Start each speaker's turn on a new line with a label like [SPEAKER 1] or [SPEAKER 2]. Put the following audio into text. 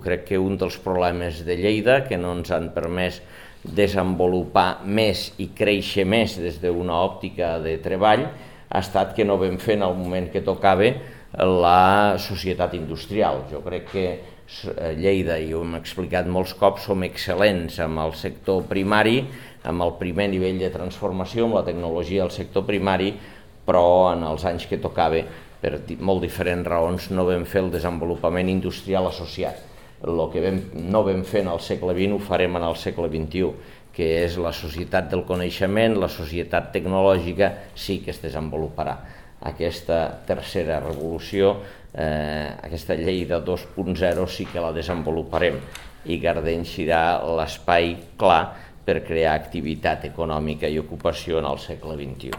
[SPEAKER 1] Crec que un dels problemes de Lleida, que no ens han permès desenvolupar més i créixer més des d'una òptica de treball, ha estat que no vam fer en el moment que tocava la societat industrial. Jo crec que Lleida, i ho hem explicat molts cops, som excel·lents amb el sector primari, amb el primer nivell de transformació, amb la tecnologia del sector primari, però en els anys que tocava, per molt diferents raons, no vam fer el desenvolupament industrial associat. El que no vam fer en el segle XX ho farem en el segle XXI, que és la societat del coneixement, la societat tecnològica, sí que es desenvoluparà. Aquesta tercera revolució, aquesta Lleida 2.0 sí que la desenvoluparem i Gardeny serà l'espai clar per crear activitat econòmica i ocupació en el segle XXI.